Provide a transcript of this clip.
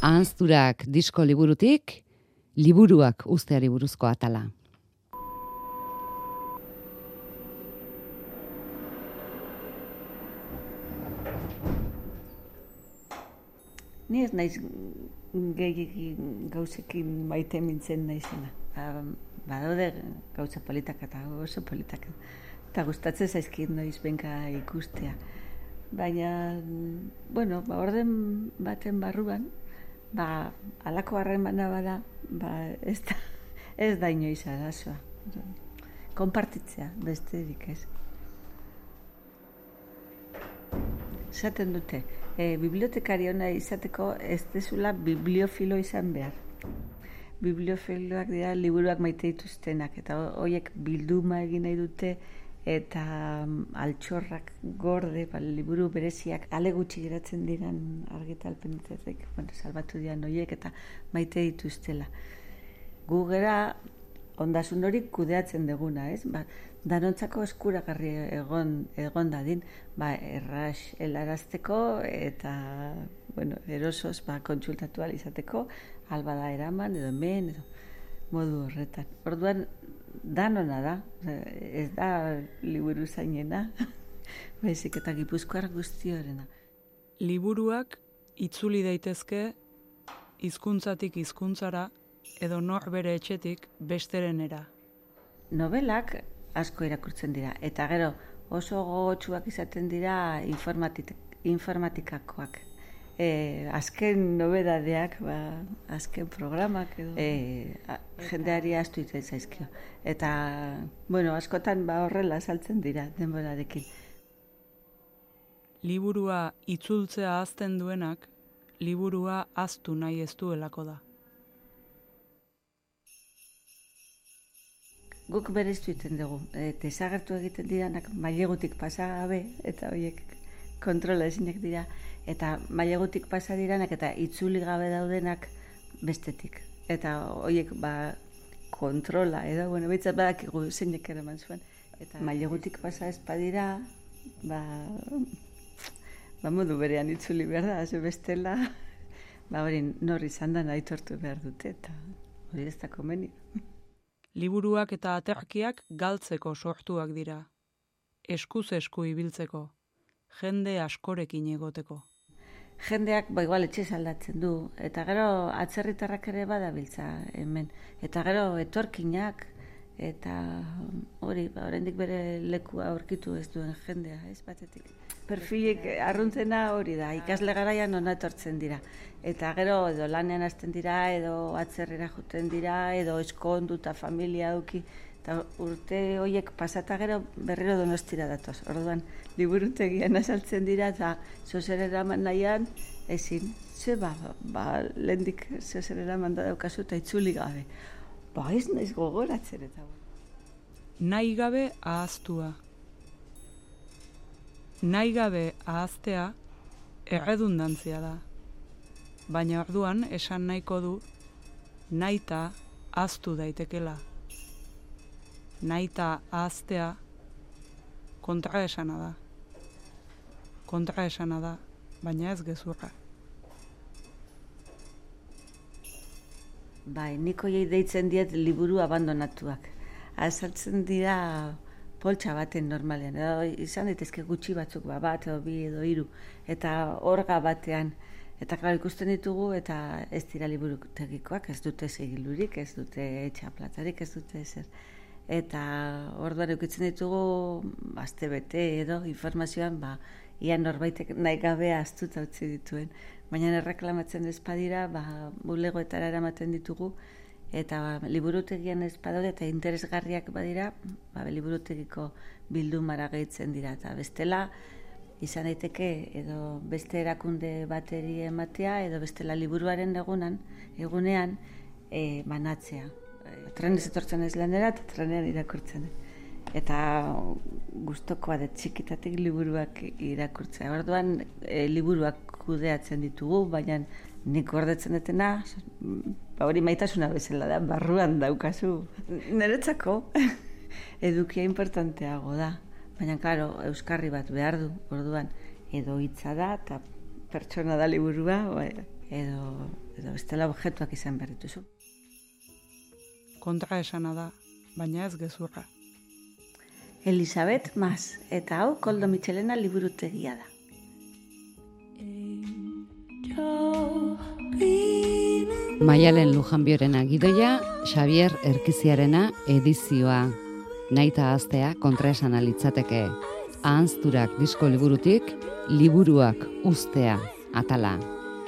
Ahanzturak disko liburutik, liburuak uzteari buruzko atala. Ni ez naiz gauzekin maite mintzen naizena. Badaude gauza politak eta oso politak. Eta gustatzen zaizkit noiz benka ikustea. Baina, orden baten barruan, halako harremana bada, ez da inoiz arazoa. Konpartitzea, besterik ez. Esaten dute, bibliotekari ona izateko ez dezula bibliofilo izan behar. Bibliofiloak dira liburuak maite dituztenak, eta horiek bilduma egin nahi dute, eta altxorrak gorde, liburu bereziak ale gutxi geratzen diran argitalpenetik, salbatu dian horiek eta maite dituztela. Gu gera ondasun hori kudeatzen deguna, ez? Danontzako eskuragarri egon dadin, erraz helarazteko eta erosoz kontsultatu ahal izateko, albada eraman edo hemen edo modu horretan. Orduan, danona da, ez da liburu zainena, baizik eta Gipuzkoar guztiorena. Liburuak itzuli daitezke hizkuntzatik hizkuntzara edo nor bere etxetik besterenera. Novelak asko irakurtzen dira, eta gero oso gogotsuak izaten dira informatikakoak. Azken nobedadeak, azken programak edo jendeari astu iten zaizkio. Eta, askotan horrela saltzen dira denborarekin. Liburua itzultzea ahazten duenak, liburua ahaztu nahi ez duelako da. Guk bereztu iten dugu, desagertu egiten diranak mailegutik pasa gabe, eta horiek kontrola ezinak dira, eta mailegutik pasa diranak eta itzuli gabe daudenak bestetik. Eta horiek kontrola, edo, behitzat badakigu zeinek eraman zuen. Eta mailegutik pasa ez badira, modu berean itzuli behar da, bestela, hori nor izan da aitortu behar dute, eta hori ez da komeni. Liburuak eta aterkiak galtzeko sortuak dira. Eskuz esku ibiltzeko, jende askorekin egoteko. Jendeak igual etxe aldatzen du, eta gero atzerritarrak ere badabiltza hemen. Eta gero etorkinak, eta hori, oraindik bere lekua aurkitu ez duen jendea, ez batetik. Perfilik arruntzena hori da, ikasle garaian ona etortzen dira. Eta gero edo lanean hasten dira, edo atzerrera joten dira, edo eskondu eta familia duki. Eta urte horiek pasata gero berriro Donostira datoz. Orduan, liburutegian azaltzen dira eta zozer eraman nahian ezin. Ze lehendik zozer eraman da daukazu eta itzuli gabe. Ez naiz gogoratzen eta. Nahi gabe ahaztua. Nahi gabe ahaztea erredundantzia da. Baina orduan esan nahiko du nahita ahaztu daitekela. Nahita ahaztea kontraesana da. Kontraesana da, baina ez gezurra. Nik hoiei deitzen diet liburu abandonatuak. Azaltzen dira poltsa baten normalean. Izan daitezke gutxi batzuk, bat edo bi edo hiru. Eta orga batean. Eta klaro ikusten ditugu eta ez dira liburutegikoak, ez dute segilurik, ez dute txaplatarik, ez dute ezer. Eta orduan eukitzen ditugu astebete edo informazioan ia norbaitek nahi gabe ahaztuta utzi dituen. Baina erreklamatzen ez badira, bulegoetara eramaten ditugu, eta liburutegian ez badaude eta interesgarriak badira, liburutegiko bildumara gehitzen dira. Eta bestela, izan daiteke edo beste erakunde bateri ematea, edo bestela liburuaren egunean banatzea. Trenez etortzen ez lanera eta trenean irakurtzen. Eta gustokoa da txikitatik liburuak irakurtzea. Orduan liburuak kudeatzen ditugu, baina nik gordetzen dutena, hori maitasuna bezala da, barruan daukazu. Niretzako edukia importanteago da. Baina, klaro, euskarri bat behar du, orduan, edo hitza da, eta pertsona da liburua, edo bestela objektuak izan behar dituzu. Kontra esana da, baina ez gezurra. Elizabeth Mas, eta hau Koldo Mitxelena liburutegia da. Maialen Lujanbiorena gidoia, Xavier Erkiziarena edizioa. Naita ahaztea kontraesana litzateke. Ahanzturak disko liburutik, liburuak uztea atala.